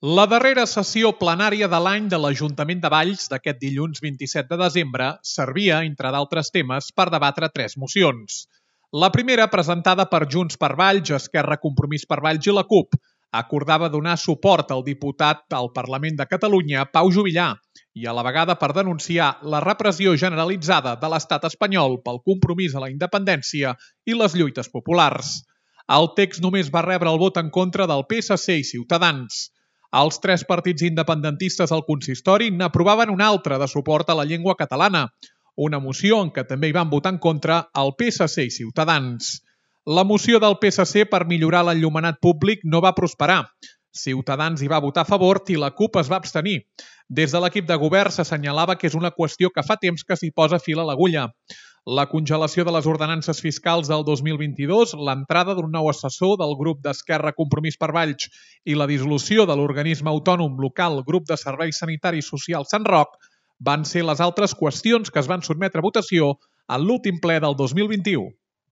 La darrera sessió plenària de l'any de l'Ajuntament de Valls d'aquest dilluns 27 de desembre servia, entre d'altres temes, per debatre 3 mocions. La primera, presentada per Junts per Valls, Esquerra, Compromís per Valls i la CUP, acordava donar suport al diputat al Parlament de Catalunya, Pau Juvillà, i a la vegada per denunciar la repressió generalitzada de l'estat espanyol pel compromís a la independència i les lluites populars. El text només va rebre el vot en contra del PSC i Ciutadans. Els 3 partits independentistes al consistori n'aprovaven un altre de suport a la llengua catalana, una moció en què també hi van votar en contra el PSC i Ciutadans. La moció del PSC per millorar l'enllumenat públic no va prosperar. Ciutadans hi va votar a favor i la CUP es va abstenir. Des de l'equip de govern s'assenyalava que és una qüestió que fa temps que s'hi posa fil a l'agulla. La congelació de les ordenances fiscals del 2022, l'entrada d'un nou assessor del grup d'Esquerra Compromís per Valls i la dissolució de l'organisme autònom local Grup de Serveis Sanitaris Socials Sant Roc van ser les altres qüestions que es van sotmetre a votació en l'últim ple del 2021.